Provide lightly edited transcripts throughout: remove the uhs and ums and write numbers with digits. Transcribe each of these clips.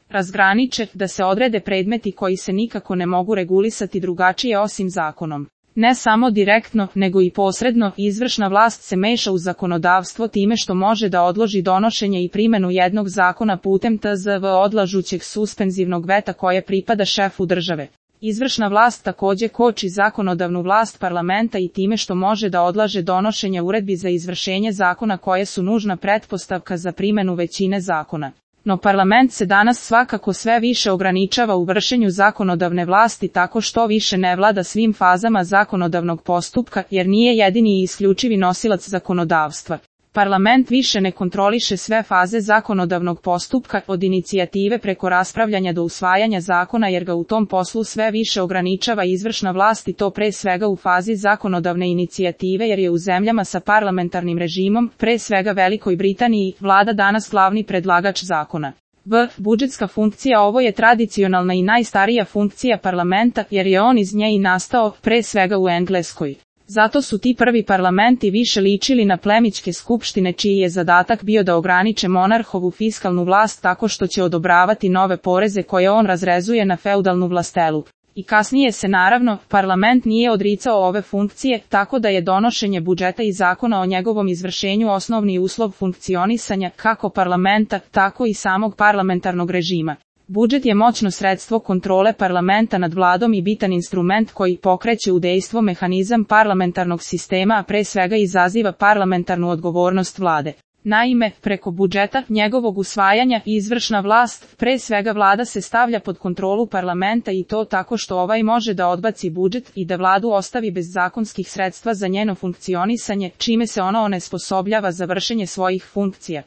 razgraniče, da se odrede predmeti koji se nikako ne mogu regulisati drugačije osim zakonom. Ne samo direktno, nego i posredno, izvršna vlast se meša u zakonodavstvo time što može da odloži donošenje i primenu jednog zakona putem tzv. Odlažućeg suspenzivnog veta koje pripada šefu države. Izvršna vlast takođe koči zakonodavnu vlast parlamenta i time što može da odlaže donošenje uredbi za izvršenje zakona koje su nužna pretpostavka za primenu većine zakona. No parlament se danas svakako sve više ograničava u vršenju zakonodavne vlasti tako što više ne vlada svim fazama zakonodavnog postupka jer nije jedini i isključivi nosilac zakonodavstva. Parlament više ne kontroliše sve faze zakonodavnog postupka od inicijative preko raspravljanja do usvajanja zakona jer ga u tom poslu sve više ograničava izvršna vlast i to pre svega u fazi zakonodavne inicijative jer je u zemljama sa parlamentarnim režimom, pre svega Velikoj Britaniji, vlada danas glavni predlagač zakona. Budžetska funkcija. Ovo je tradicionalna i najstarija funkcija parlamenta jer je on iz nje i nastao, pre svega u Engleskoj. Zato su ti prvi parlamenti više ličili na plemićke skupštine čiji je zadatak bio da ograniče monarhovu fiskalnu vlast tako što će odobravati nove poreze koje on razrezuje na feudalnu vlastelu. I kasnije se naravno, parlament nije odricao ove funkcije, tako da je donošenje budžeta i zakona o njegovom izvršenju osnovni uslov funkcionisanja kako parlamenta, tako i samog parlamentarnog režima. Budžet je moćno sredstvo kontrole parlamenta nad vladom i bitan instrument koji pokreće u dejstvo mehanizam parlamentarnog sistema, a pre svega izaziva parlamentarnu odgovornost vlade. Naime, preko budžeta, njegovog usvajanja, izvršna vlast, pre svega vlada se stavlja pod kontrolu parlamenta i to tako što ovaj može da odbaci budžet i da vladu ostavi bez zakonskih sredstva za njeno funkcionisanje, čime se ono onesposobljava za vršenje svojih funkcija.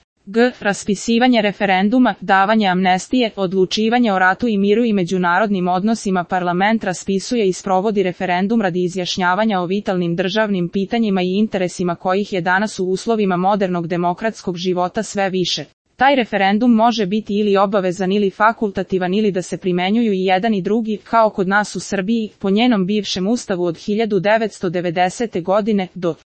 Raspisivanje referenduma, davanje amnestije, odlučivanje o ratu i miru i međunarodnim odnosima. Parlament raspisuje i sprovodi referendum radi izjašnjavanja o vitalnim državnim pitanjima i interesima kojih je danas u uslovima modernog demokratskog života sve više. Taj referendum može biti ili obavezan ili fakultativan ili da se primenjuju i jedan i drugi, kao kod nas u Srbiji, po njenom bivšem ustavu od 1990. godine, do